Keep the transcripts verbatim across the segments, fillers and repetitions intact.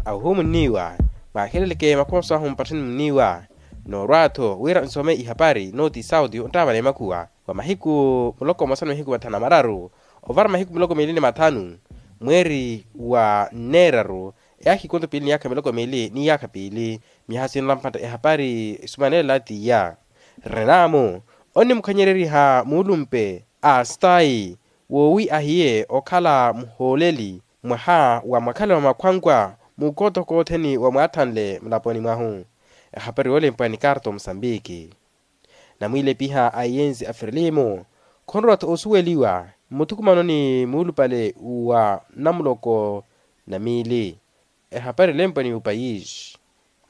Ahuhumunniwa, mwaaheleleke makhuwa mwahu mpattheni munniwa. Noorwa-tho wira nsome ihapari nooti sauti onttaavana emakhuwa wa mahiku muloko mmosa ni mahiku mathanu na mararu, ovara mahiku miloko miili ni mathanu, mweeri wa nneeraru, eyaakha ikonto piili ni yaakha miloko miili ni yaakha piili. Miyaha sinla mpatha ehapari sumanela tiya. Renamu onnimukhanyereriha muulumpe a stayi, woowi ahiye okhala muhooleli mwaha wa mwakhale wa makhwankwa mukootoko othene wa mwaathanle mulaponi mwahu. Ehapari yoolempwa ni karto musambiki. Namwiilepiha a iyensi a firilimu khonrowa-tho osuweliwa mmuthukumano ni muulupale wa namuloko na miili. Ehapari elempwa ni upayisi.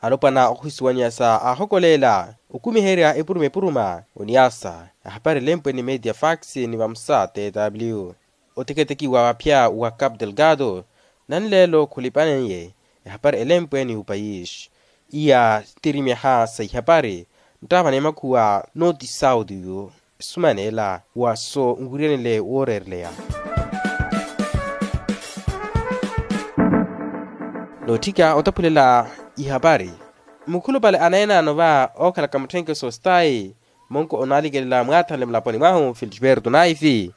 Alopwana ohisuwanya sa ahokolela okumiherya epuruma epuruma oniasa. Ehapari elempwa ni media fax ni vamusa tw. Oteketeki wa vaphya wa cap delgado nanleelo khulipaneiye. Ehapari elempwa ni upayisi iya tirimyaha sa ihapari nttaavana emakhuwa nooti sauti yu. Sumanela wa so nwiryanile wooreereleya. Nootthika otaphulela ihapari mukhulupale aneenaano va ookhalaka mutthenkeso stayi monko onaalikelela mwaathanle mulaponi mwahu felisberto naifi.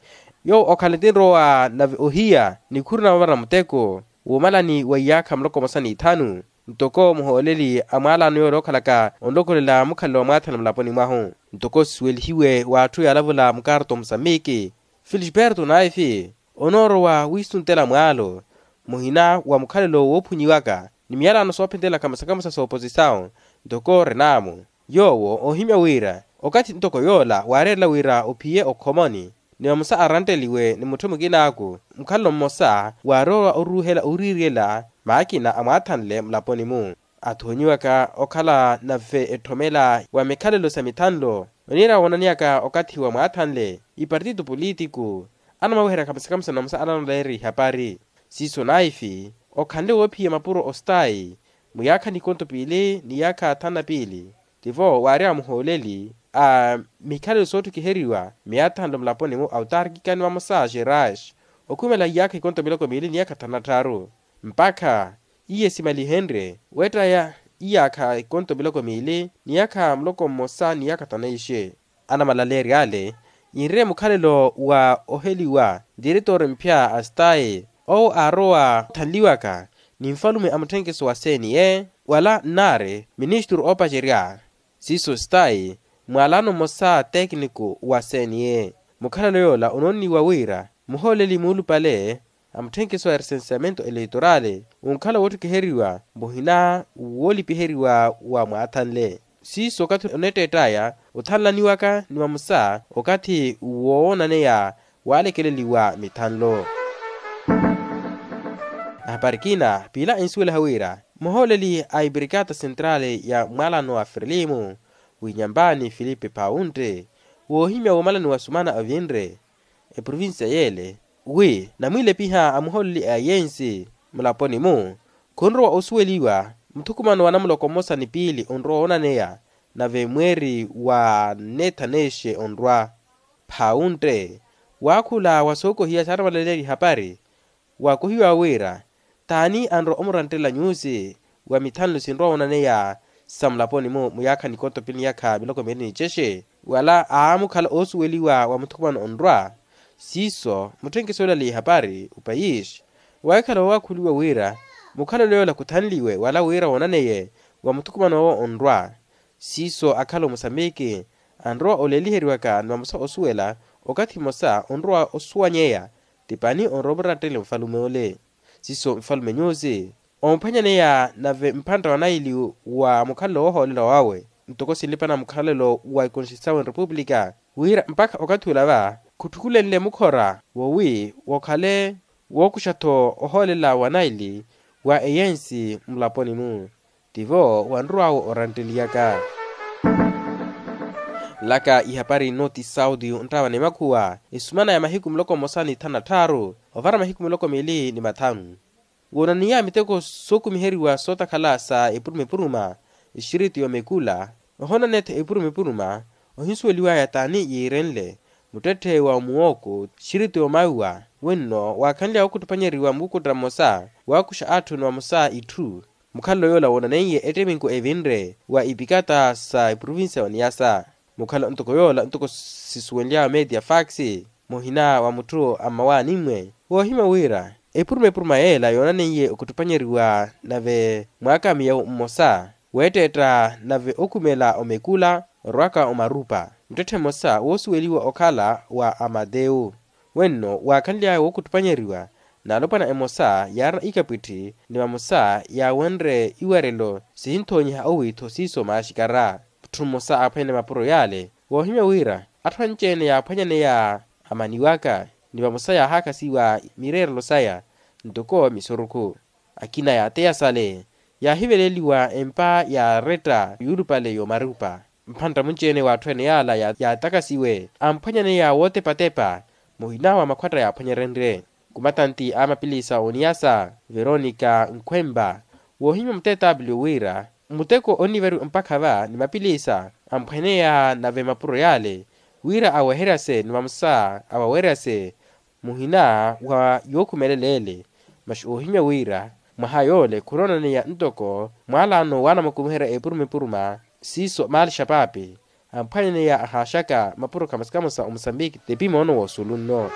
Yoowo okhala etinrowa nave ohiya nikhuru na vavara muteko wuumalani wa iyaakha muloko mmosa ni ithanu ntoko muhooleli a mwaalano yoola ookhalaka onlokolela mukhalelo wa mwaathanle mulaponi mwahu. Ntoko sisuwelihiwe w'atthu yaalavula mukarto musambiki felisberto naifi onoorowa wiisuntela mwaalo muhina wa mukhalelo woophunyiwaka ni miyalano soophentelaka musakamasa sooposisawu ntoko renamu. Yoowo oohimya wira okathi ntoko yoola waareerela wira ophiye okhomoni ni vamosa arantteliwe ni mutthu mukinaaku mukhalelo mmosa waarowa oruuhela owiririyela maakina amwaathanle mulaponi-mu. Athoonyiwaka okhala nave etthomela wa mikhalelo sa mithanlo oniira woonaneyaka okathi wa mwaathanle ipartito politiku anamaweheryaka musakamasa na vamosa ananleeri ihapari. Siiso naifi okhanle woophiya mapuro ostayi muyaakha nikonto piili ni yaakha thanu na piili tivo waarya muhooleli a mikhalelo sootthukhiheriwa miyaathanlo mulaponi-mu autarkika ni vamosa xerais okhumela iyaakha ikonto miloko miili ni yaakha thanu na tthaaru mpakha iye simalihenrye weettaya iyaakha ikonto miloko miili ni yaakha muloko mmosa ni yaakha thanu na ixe. Anamalaleeryo ale yinre mukhalelo wa oheliwa diretor mphya a stayi owo aarowa othanliwaka ni nfalume a mutthenkeso wa cne wala nnaari ministru oopacerya siiso stayi mwaalano mmosa tekniko wa cne. Mukhalelo yoola onoonniwa wira muhooleli muulupale a mutthenkeso wa recenseamento eleitorali onkhala wootthukhiheriwa muhina woolipiheriwa wa mwaathanle siiso okathi oneetteett'aya othanlaniwaka ni vamosa okathi woonaneya waalekeleliwa mithanlo. Ahapari kina piila ensuwelaha wira muhooleli a ibrikata sentrali ya mwaalano wa firilimu winyambani filipe pawuntte woohimya woomalani wa sumana avinre eprovincia yeele wi namwiilepiha a muhooleli a iyensi mulaponi-mu khunrowa osuweliwa muthukumano wa namuloko mmosa ni piili onrowa woonaneya nave mweeri wa nne thaneexe onrwa. Phaawuntte waakhula wa sookohiya saaramalaleerya ihapari waakohiwa wira t'ani anrowa omuranttelela nyuusi wa mithanlo sinrowa woonaneya sa mulaponi-mu muyaakha nikoto piili ni yaakha miloko miili ni cexe wala aamukhala oosuweliwa wa muthukumano onrwa. Siiso mutthenkeso yoola ali ihapari upayisi waahikhala woowakhuliwa wira mukhalelo yoola khuthanliwe wala wira woonaneye wa muthukumano owo onrwa. Siiso akhala omusambiki anrowa oleeliheriwaka ni vamosa osuwela okathi mmosa onrowa osuwanyeya ti pani onrowa omurattele mufalume ole. Siiso mufalume nyuusi omuphwanyaneya nave mphantta wa naili wa mukhalelo woohoolela wawe ntoko sinlipana mukhalelo wa ikonstituisawe nrepupulika wira mpakha okathi ula va khutthukulenle mukhora wowi wokhale wookuxa-tho ohoolela wa naili wa eyensi mulaponi-mu. Tivo wanrw'awe orantteliyaka. Nlaka ihapari nno ti sauti onttaavana emakhuwa esumana ya mahiku muloko mmosa ni thanu na tthaaru ovara mahiku miloko miili ni mathanu. Woonaniya miteko sookumiheriwa sootakhala sa epuruma epuruma exiriti y'omekula ohoonanetho epuruma epuruma ohinsuweliwaya t'ani yiirenle muttetthe wa muwoko xiriti omaiwa. Wenno waakhanly'awe okuttuphanyeriwa mukukutta mmosa waakuxa atthu ni vamosa itthu. Mukhalelo yoola woonaneiye ettiminku evinre wa ipikata sa eprovincia ya oniyasa. Mukhala ntoko yoola ntoko sisuwenly'awe media fax muhina wa mutthu a mmawaani-mwe woohimya wira epuruma epuruma yeela yoonaneiye okuttuphanyeriwa nave mwaaka miyawu mmosa weetteetta nave okhumela omekula orwaka omarupa. Muttetthe mmosa woosuweliwa okhala wa amatewu. Wenno waakhanly'aya wookuttuphanyeriwa n'alopwana emosa yaarina ikapwitthi ni vamosa yaawenre iwarelo sihinthonyiha owiitho siiso maaxikara. Mutthu mmosa aaphwanyane mapuro yaale woohimya wira atthu anci-ene yaaphwanyaneya amaniwaka ni vamosa yaahaakasiwa mireerelo saya ntoko misurukhu. Akina yaateya sale yaahiveleliwa empa yaaretta yuulupale y'omarupa. Mphantta munci-ene w'atthu ene yaala yaatakasiwe amphwanyaneya wootepatepa muhina wa makhwatta yaaphwanyerenrye. Kumatanti a mapilisa oniyasa veronica nkhwemba woohimya muteetaapiliyo wira muteko onnivariwa mpakha va ni mapilisa amphwaneya nave mapuro yaale wira aweheryase ni vamosa awaweryase muhina wa yookhumelela ele. Masi oohimya wira mwaha yoole khunoonaneya ntoko mwaalaano waanamukumiherya epuruma epuruma siiso maali xapaapi amphwanyaneya ahaaxaka mapuro khamosa khamosa omusambiki tepi moono woosulunno.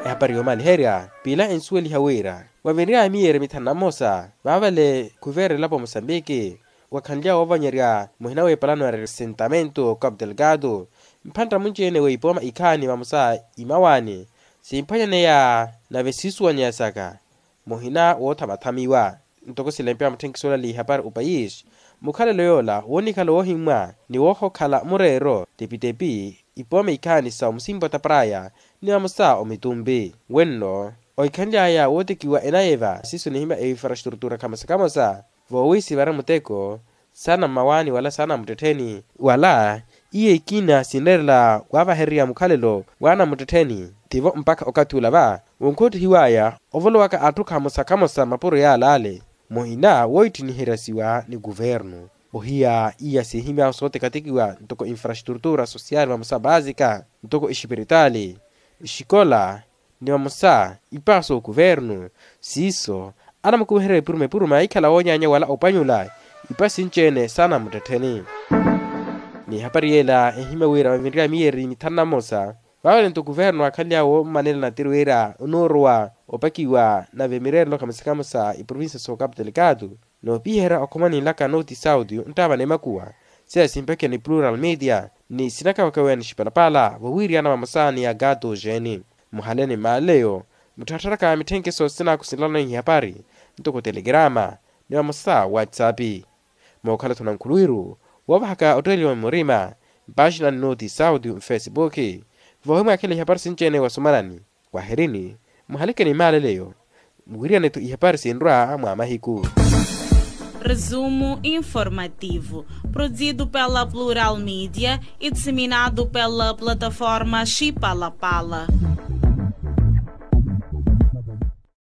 Ehapari yoomaliherya piila ensuweliha wira wavinry'aya miyeeri mithanu na mmosa vaavale khuveera elapo musambiki wakhanly'awe woovanyerya muhina w'epalano ya ressentamento capu delgado. Mphantta munci-ene w'ipooma ikhaani vamosa imawaani simphwanyaneya nave siisuwanyeya saka muhina woothamathamiwa. Ntoko silempeya mutthenkiso olala ihapari opayisi mukhalelo yoola woonikhala woohimmwa ni woohokhala mureero tepitepi ipooma ikhaani sa omusimpa otaparaya ni vamosa omitumpi. Wenno ohikhanly'aya wootekiwa enayeva siiso nihimya einfrastrutura khamosa khamosa voowiisivara muteko saana mmawaani wala saana muttettheni wala iyo ikina sinreerela waavahererya mukhalelo waana muttettheni. Tivo mpakha okathi ula va wonkhoottihiw'aya ovolowaka atthu khamosa khamosa mapuro yaalaale muhina wooittiniheryasiwa ni kuvernu. Ohiya iya siihimy'ahu sooteketekiwa ntoko infrastrutura social vamosa vaasika ntoko exipiritaali exikola ni vamosa ipaaso okuvernu siiso anamukumiherya epuruma epuruma ikhala woonyaanya wala opanyula ipa sinci-ene saana muttettheni. Ni ehapari yeela ehimya wira vavinry'aya miyeeri mithanu na mmosa vaavale nto okuvernu aakhanly'awe woomanela natiri wira onoorowa opakiwa nave mireerelo khamosa khamosa eprovincia so capu delgado. Noopiherya okhoma ninlaka noti saudio nttaavana emakuwa seya simpakhiwa ni plural media ni sinakawakaweya ni xipalapala vowiiriyana vamosa ni agato jeeni. Muhale ni mmaaleyo mutthattharaka mitthenkeso sinaaku sinlano ihapari ntoko telegrama ni vamosa whatsapp. Mookhala-tho nankhuluwiru woovahaka otteeliwa murima mpaaxina ni noti saudio mfesipuki voohimwaakhela ihapari sinci-ene wasumanani. Wahirini muhaleke ni maaleleyo muwiriyane-tho ihapari sinrwa mwa mahiku. Resumo informativo, produzido pela Plural Media e disseminado pela plataforma Chipalapala.